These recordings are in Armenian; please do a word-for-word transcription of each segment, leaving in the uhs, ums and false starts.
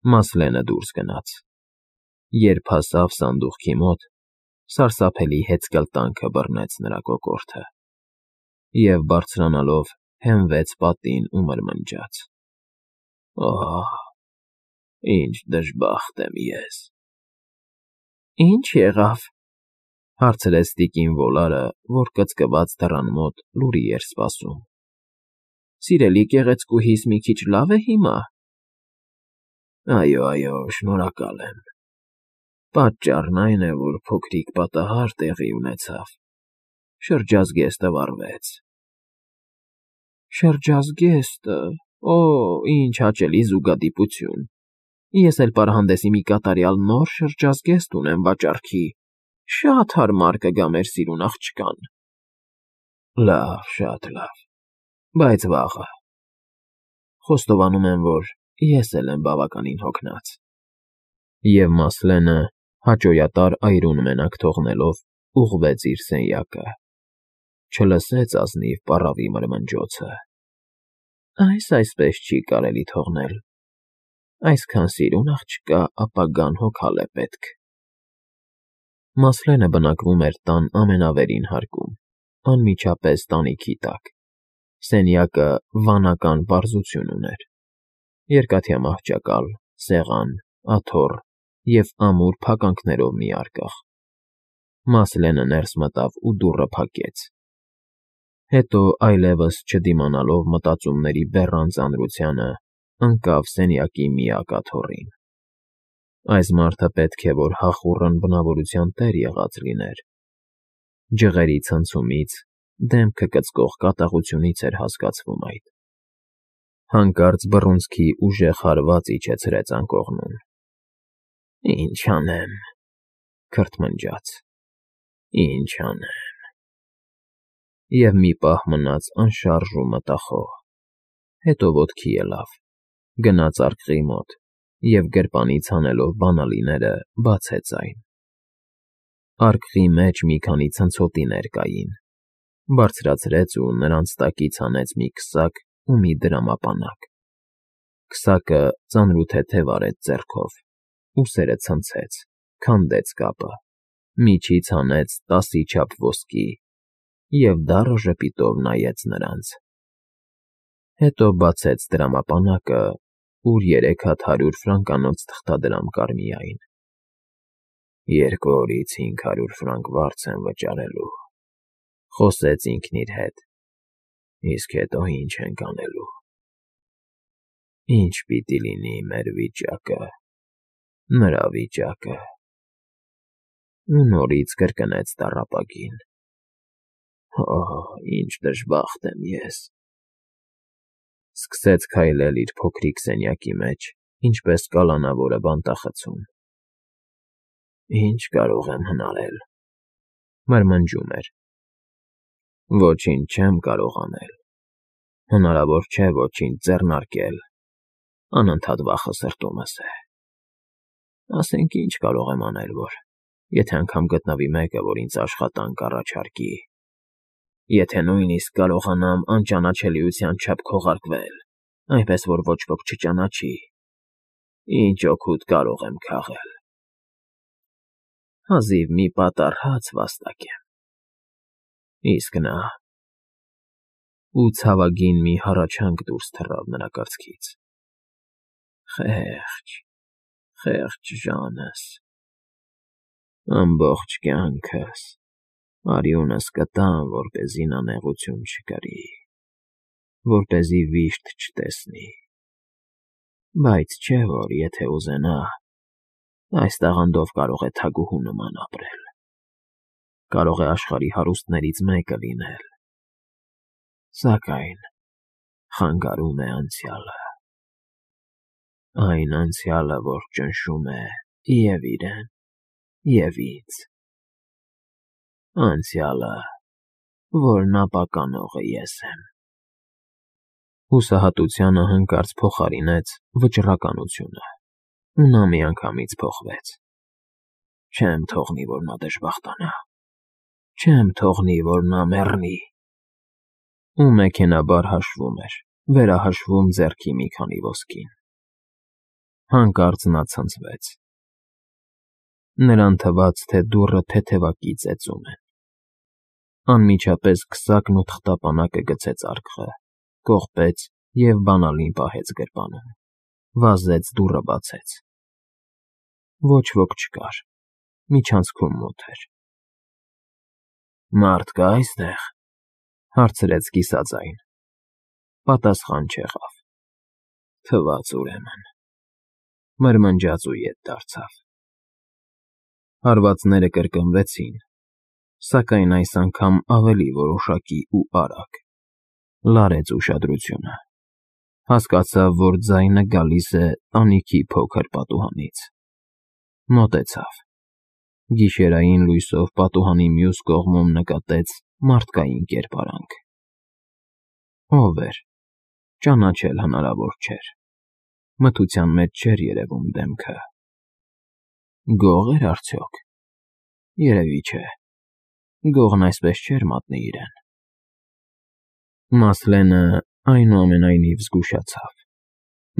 Մասլենը դուրս գնաց։ Երբ հասավ սանդուղքի մոտ, սարսափելի հեծկլտանքը բռնեց նրա կոկորդը, և բարձրանալով հենվեց պատին ու մրմնջաց. «Օհ, ինչ դժբախտ եմ ես»։ «Ի՞նչ եղավ,֊ հարցրեց տիկին Վոլարը, որ կծկված դռան մոտ լուրի էր սպասում։֊ Սիրելի գեղեցկուհիս մի քիչ լավ է հիմա՞։ «Այո, այո, շնորհակալ եմ։ Պատճառն այն է, որ փոքրիկ պատահար տեղի ունեցավ, շրջազգեստը վառվեց»։ «Շրջազգեստը… Օ՜, ինչ հաճելի զուգադիպություն… Ես էլ պարանհանդեսի մի կատարյալ նոր շրջազգեստ ունեմ վաճառքի, շատ հարմար կգա մեր սիրուն աղջկան»։ «Լավ, շատ լավ, բայց վաղը… Խոստովանում եմ, որ ես էլ եմ բավականին հոգնած»։ Եվ Մասլենը, հաճոյատար այրուն մենակ թողնելով, ուղղվեց իր սենյակը, չլսեց ազնիվ պառավի մրմնջոցը։ «Այս այսպես չի կարելի թողնել… Այսքան սիրուն աղջկա ապագան հոգալ է պետք»։ Մասլենը բնակվում էր տան ամենավերին հարկում, անմիջապես տանիքի տակ։ Սենյակը վանական պարզություն ուներ. երկաթյա մահճակալ, սեղան, աթոռ և ամուր փականքներով մի արկղ։ Մասլենը ներս մտավ ու դուռը փակեց։ Հետո, այլևս չդիմանալով մտածումների բեռան ծանրությանը, ընկավ սենյակի միակ աթոռին։ Այս մարդը պետք է որ հախուռն բնավորության տեր եղած լիներ։ Ջղերի ցնցումից, դեմքը կծկող կատաղությունից էր հասկացվում այդ։ Հանկարծ բռունցքի ուժեղ հարված իջեցրեց անկողնում։ «Ինչ անեմ,֊ քրթմնջաց,֊ ինչ անեմ»։ Եվ մի պահ մնաց անշարժ ու մտախոհ, հետո ոտքի ելավ, գնաց արկղի մոտ և գրպանից հանելով բանալիները, բացեց այն։ Արկղի մեջ մի քանի ցնցոտիներ կային, բարձրացրեց ու նրանց տակից հանեց մի քսակ ու մի դրամապանակ։ Քսակը ծանրութեթև արեց ձեռքով, ուսերը ցնցեց, քանդեց կապը, միջից հանեց տասի չափ ոսկի և դառը ժպիտով նայեց նրանց։ Հետո բացեց դրամապանակը, ուր երեք հատ հարյուր ֆրանկանոց թղթադրամ կար միայն։ «Երկու օրից հինգ հարյուր ֆրանկ վարձ եմ վճարելու,֊ խոսեց ինքն իր հետ,֊ իսկ հետո ի՞նչ ենք անելու։ Ի՞նչ պիտի լինի մեր վիճակը, նրա վիճակը»։ Ու նորից կրկնեց տառապագին. «Օհ, ինչ դժբախտ եմ ես»։ Սկսեց քայլել իր փոքրիկ սենյակի մեջ, ինչպես կալանավորը բանտախցում։ «Ի՞նչ կարող եմ հնարել,֊ մրմնջում էր։ «Ոչինչ չեմ կարող անել, հնարավոր չէ ոչինչ ձեռնարկել, անընդհատ վախը սրտումս է։ Ասենք ինչ կարող եմ անել, որ, եթե անգամ գտնվի մեկը, որ ինձ աշխատանք կառաջարկի, եթե նույնիսկ կարողանամ անճանաչելիության չափ քողարկվել, այնպես որ ոչ ոք չճանաչի, ինչ օգուտ կարող եմ քաղել։ Հազիվ մի պատառ հաց վաստակեմ, իսկ նա…»։ Ու ցավագին մի հառաչանք դուրս թռավ նրա կրծքից. «Խե՜ղճ, խեղճ Ժանս… Ամբողջ կյանքս արյունս կտամ, որպեսզի նա նեղություն չկրի, որպեսզի վիշտ չտեսնի… Բայց չէ որ եթե ուզենա, այս տաղանդով կարող է թագուհու նման ապրել, կարող է աշխարհի հարուստներից մեկը լինել, սակայն խանգարում է անցյալը… Այն անցյալը, որ ճնշում է և՛ իրեն, և՛ ինձ… Անցյալը, որն ապականողը ես եմ»։ Հուսահատությանը հանկարծ փոխարինեց վճռականությունը, ու նա միանգամից փոխվեց։ «Չեմ թողնի, որ նա դժբախտանա… Չեմ թողնի, որ նա մեռնի»։ Ու մեքենայաբար հաշվում էր, վերահաշվում ձեռքի մի քանի ոսկին։ Հանկարծ նա ցնցվեց. նրան թվաց, թե դուռը թեթևակի ծեծում են։ Անմիջապես քսակն ու թղթապանակը գցեց արկղը, կողպեց և բանալին պահեց գրպանում, վազեց դուռը բացեց։ Ոչ ոք չկար, միջանցքում մութ էր։ «Մարդ կա՞ այստեղ», հարցրեց կիսաձայն։ Պատասխան չեղավ։ Թվաց ուրեմն, մրմնջաց ու ետ դարձավ։ Հարվածները կրկնվեցին, սակայն այս անգամ ավելի որոշակի ու արագ։ Լարեց ուշադրությունը։ Հասկացավ, որ ձայնը գալիս է տանիքի փոքր պատուհանից։ Մոտեցավ։ Գիշերային լույսով պատուհանի մյուս կողմում նկատեց մարդկային կերպարանք։ Ո՞վ էր, ճանաչել հնարավոր չէր։ Մթության մեջ չէր երևում դեմքը։ Գող էր արդյոք։ Երևի չէ, գողն այսպես չէր մատնի իրեն։ Մասլենը, այնուամենայնիվ, զգուշացավ,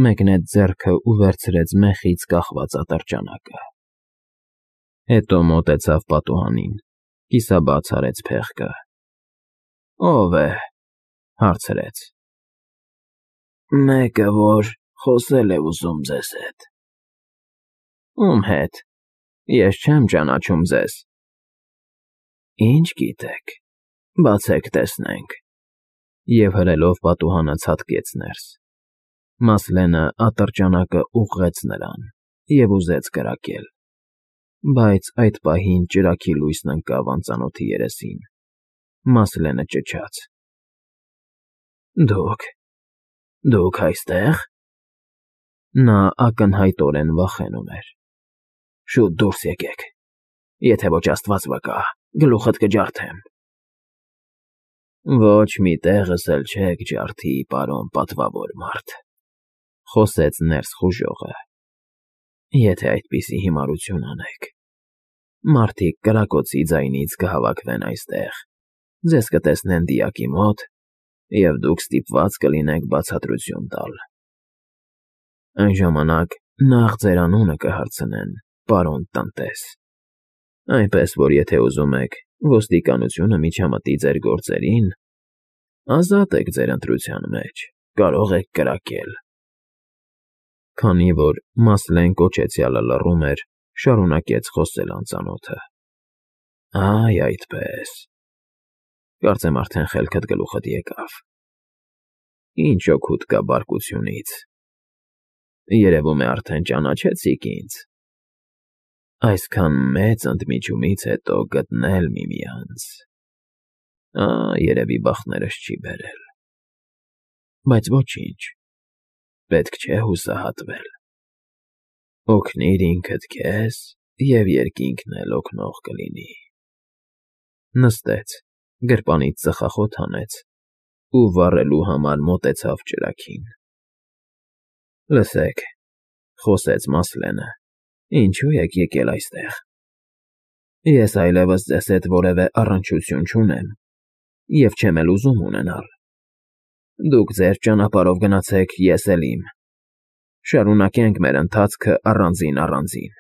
մեկնեց ձեռքը ու վերցրեց մեխից կախված ատրճանակը։ Հետո մոտեցավ պատուհանին, կիսաբաց արեց փեղկը։ «Ո՞վ է», հարցրեց։ «Մեկը, որ խոսել է ուզում ձեզ հետ»։ «Ում հետ, ես չեմ ճանաչում ձեզ»։ «Ինչ գիտեք, բացեք տեսնենք», և հրելով պատուհանը ցատկեց ներս։ Մասլենը ատրճանակը ուղղեց նրան և ուզեց կրակել, բայց այդ պահին ճրագի լույսն ընկավ անծանոթի երեսին։ Մասլենը ճչաց. «Դուք… դուք այստե՞ղ»։ Նա ակնհայտորեն վախենում էր։ «Շուտ դուրս եկեք, եթե ոչ աստված վկա, գլուխդ կջարդեմ»։ «Ոչ մի տեղս էլ չեք ջարդի, պարոն պատվավոր մարդ», խոսեց ներս խուժողը, «եթե այդպիսի հիմարություն անեք։ Մարդիկ կրակոցի ձայնից կհավաքվեն այստեղ, ձեզ կտեսնեն դիակի մոտ, և դուք ստիպված կլինեք բացատրություն տալ։ Այն ժամանակ նախ ձեր անունը կհարցնեն, պարոն տնտես, այնպես որ եթե ուզում եք ոստիկանությունը միջամտի ձեր գործերին, ազատ եք ձեր ընտրության մեջ, կարող եք կրակել»։ Քանի որ Մասլեն կոչեցյալը լռում էր, շարունակեց խոսել անծանոթը. «Այ այդպես… Կարծեմ արդեն խելքդ գլուխդ եկավ։ Ինչ օգուտ կա բարկությունից… Երևում է արդեն ճանաչեցիք ինձ… Այսքան մեծ ընդմիջումից հետո գտնել միմյանց… Ա, երևի բախտներս չի բերել… Բայց ոչինչ, պետք չէ հուսահատվել… Օգնիր ինքդ քեզ, և երկինքն էլ օգնող կլինի»։ Նստեց, գրպանից ծխախոտ հանեց ու վառելու համար մոտեցավ ճրագին։ «Լսեք», խոսեց Մասլենը, «ինչու եք եկել այստեղ։ Ես այլևս ձեզ հետ որևէ առնչություն չունեմ և չեմ էլ ուզում ունենալ։ Դուք ձեր ճանապարհով գնացեք, ես էլ իմ… Շարունակենք մեր ընթացքը առանձին֊առանձին։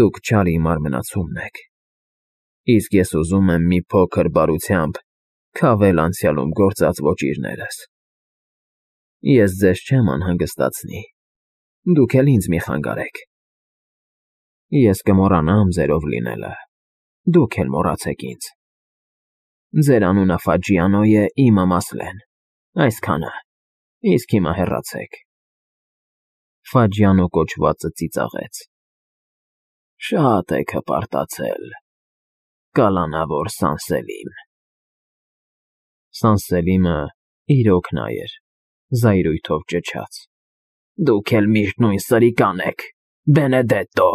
Դուք չարի մարմնացումն եք, իսկ ես ուզում եմ մի փոքր բարությամբ քավել անցյալում գործած ոճիրներս։ Ես ձեզ չեմ անհանգստացնի, դուք էլ ինձ մի խանգարեք։ Ես կմոռանամ ձերով լինելը, դուք էլ մոռացեք ինձ։ Ձեր անունը Ֆաջիանո է, իմը Մասլեն, այսքանը, իսկ հիմա հեռացեք»։ Ֆաջիանո կոչվածը ծիծաղեց. «Շատ եք հպարտացել, կալանավոր Սանսելին»։ Սանսելիմը իրոք նա էր, զայրույթով ճչաց. «Դուք էլ միշտ նույն սրիկան եք, Բենեդետտո»։